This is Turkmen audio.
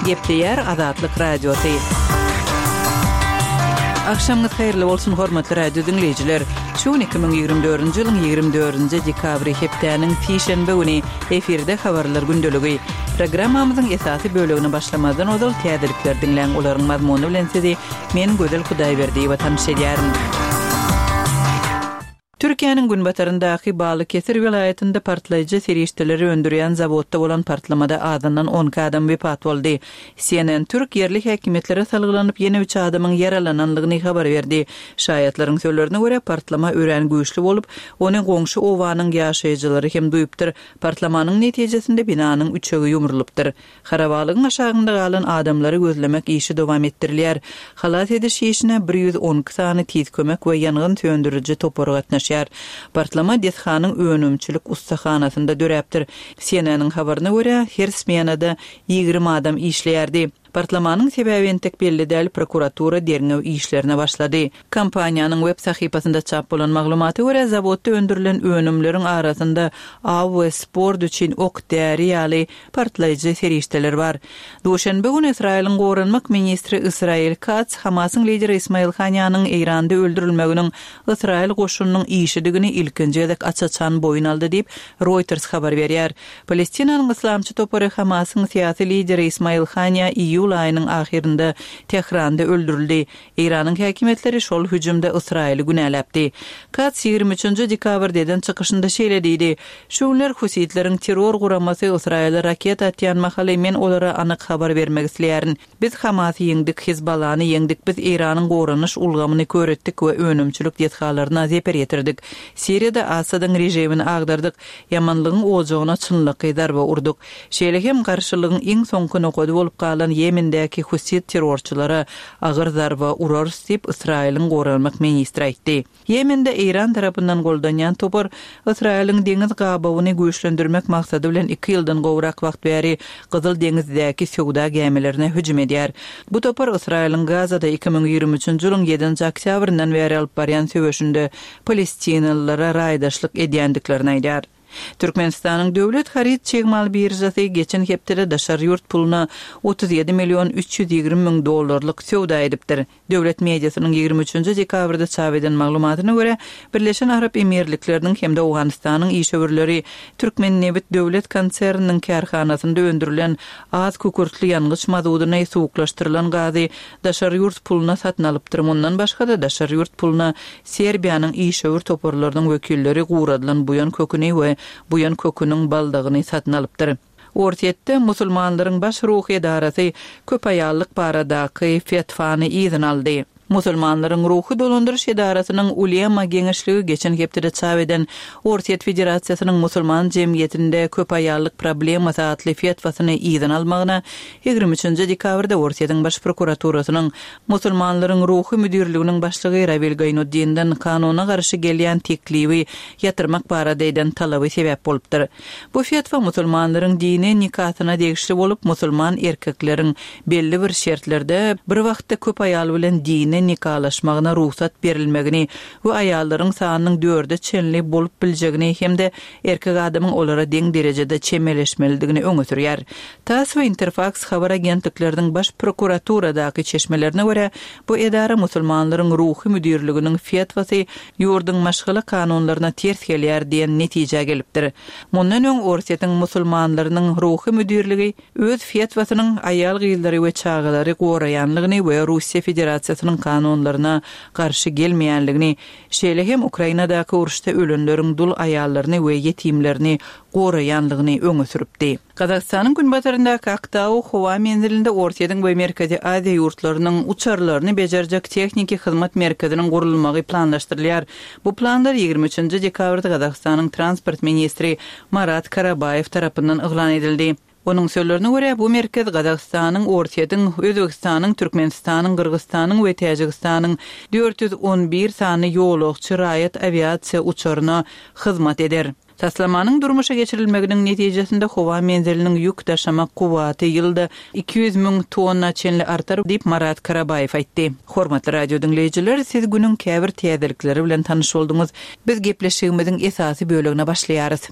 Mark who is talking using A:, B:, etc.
A: Gepleýär Azatlyk Radiosy. Agşamyňyz haýyrly bolsun, hormatly radio diňleýjiler! Şu gün 2024-nji ýylyň 24-nji dekabry, hepdäniň sişenbe güni, efirde Habarlar gündeligi. Programmamyzyň esasy bölegine başlamazdan ozal täzelikleri diňläň, olaryň mazmuny bilen sizi men Gözel Hudaýberdiýewa tanyş edýärin. Türkiýäniň günbataryndaky Balykesir welaýatynda partlaýjy serişdeleri öndürýän zawodda bolan partlamada azyndan 12 adam wepat boldy. CNN Türk ýerli häkimiýetlere salgylanyp, ýene üç adamyň ýaralananlygyny habar berdi. Şaýatlaryň sözlerine görä, partlama örän güýçli bolup, ony goňşy obanyň ýaşaýjylary hem duýupdyr. Partlamanyň netijesinde binanyň üçegi ýumrulypdyr. Harabalygyň aşagynda galan adamlary gözlemek işi dowam etdirilýär. Halas ediş işine 112 sany tiz kömek we ýangyn söndüriji topary gatnaşýar. Partlama desganyň önümçilik ussahanasynda döräpdir. CNN-iň habaryna görä, her smenada 20 adam işleýärdi. Partlamanyň sebäbi entek belli däl, prokuratura derňew işlerine başlady. Kompaniýanyň web sahypasynda çap bolan maglumata görä, zawodda öndürilen önümleriň arasynda aw we sport üçin ok-däri ýaly partlaýjy serişdeler bar. Duşenbe güni Ysraýylyň goranmak ministri Ysraýyl Katz Hamasyň lideri Ismail Hanýanyň Eýranda öldürilmeginiň Ysraýyl goşunynyň işidigini ilkinji gezek aç-açan boýun aldy diýip, Reuters habar berýär. Palestinanyň yslamçy topary Hamasyň syýasy lideri Ismail Hanýa iýul aýynyň ahyrynda Tähranda öldürildi. Eýranyň häkimiýetleri şol hüjümde Ysraýyly günäläpdi. Katz 23 dekabrda eden çykyşynda şeýle diýdi, Şu günler husitleriň terror guramasy Ysraýyla raketa atýan mahaly men olara anyk habar bermek isleýärin. Biz Hamasy ýeňdik, Hezbollany ýeňdik, biz Eýranyň goranyş ulgamyny kör etdik we önümçilik desgalaryna zeper ýetirdik. Siriýada Assadyň režimini agdardyk, ýamanlygyň ojagyna çynlakaý zarba urduk. Şeýle hem garşylygyň iň soňky nokady bolup galan Ýemendäki husit terrorçylara agyr zarba urarys diýip, Ysraýylyň goranmak ministri aýtdy. Ýemende Eýran tarapyndan goldanýan topar Ysraýylyň deňiz gabawyny güýçlendirmek maksady bilen iki ýyldan gowrak wagt bäri Gyzyl deňizdäki söwda gämilerine hüjüm edýär. Bu topar Ysraýylyň Gazada 2023-nji ýylyň ýedinji oktýabryndan bäri alyp barýan söweşinde palestinalylara raýdaşlyk edýändiklerini aýdýar. Türkmenistanyň Döwlet haryt çig mal biržasy geçen hepdede daşary ýurt puluna 37 million 320 müň dollarlyk söwda edipdir. Döwlet mediasynyň 23 dekabrda çap eden maglumatyna görä, Birleşen Arap Emirlikleriniň hem-de Owganystanyň işewürleri Türkmennebit döwlet konserniniň kärhanasynda öndürilen az kükürtli ýangyç mazudyny, suwuklaşdyrylan gazy daşary ýurt puluna satyn alypdyr. Mundan başga-da, daşary ýurt puluna Serbiýanyň işewür toparlarynyň wekilleri guradylan buýan köküni we buýan köküniň baldagyny satyn alypdyr. Orsýetde musulmanlaryň baş ruhy edarasy köp aýallyk baradaky fetwany yzyna aldy. Musulmanlaryň ruhy dolandyryş edarasynyň Ulema geňeşligi geçen hepdede çap eden Orsýet Federasiýasynyň musulman jemgyýetinde köp aýallyk problemasy atly fetwasyny yzyna almagyna 23 dekabrda Orsýetiň Baş prokuraturasynyň Musulmanlaryň ruhy müdirliginiň başlygy Rawil Gaýnutdinden kanuna garşy gelýän teklibi ýatyrmak barada eden talaby sebäp bolupdyr. Bu fetwa musulmanlaryň dini nikasyna degişli bolup, musulman erkekleriň belli bir şertlerde bir wagtda köp aýal bilen dini nikalaşmagyna rugsat berilmegini we aýallaryň sanynyň dörde çenli bolup biljegini hem-de erkek adamyň olara deň derejede çemeleşmelidigini öňe sürýär. Tass we Interfaks habar agentlikleriniň Baş prokuraturadaky çeşmelerine görä, bu edara musulmanlaryň ruhy müdirliginiň fetwasy ýurduň maşgala kanunlaryna ters gelýär diýen netijä gelipdir. Mundan öň Orsýetiň musulmanlarynyň ruhy müdirligi öz fetwasynyň aýal-gyzlary we çagalary goraýanlygyny we Russiýa Federasiýasynyň kanunlaryna garşy gelmeýänligini, şeýle hem Ukrainadaky uruşda ölenleriň dul aýallaryny we ýetimlerini goraýanlygyny öňe sürüpdi. Gazagystanyň günbataryndaky Aktau howa menzilinde Orsýetiň we Merkezi Aziýa ýurtlarynyň uçarlaryny bejerjek tehniki hyzmat merkeziniň gurulmagy planlaşdyrylýar. Bu planlar 23 dekabrda Gazagystanyň transport ministri Marat Karabaýew tarapyndan yglan edildi. Onuň sözlerine görä, bu merkez Gazagystanyň, Orsýetiň, Özbegistanyň, Türkmenistanyň, Gyrgyzystanyň we Täjigistanyň 411 sany ýolagçy raýat awiasiýa uçaryna hyzmat eder. Taslamanyň durmuşa geçirilmeginiň netijesinde howa menziliniň ýük daşamak kuwwaty ýylda 200 müň tonna çenli artar diýip, Marat Karabaýew aýtdy. Hormatly radio diňleýjiler, siz günüň käbir täzelikleri bilen tanyş bolduňyz. Biz gepleşigimiziň esasy bölegine başlaýarys.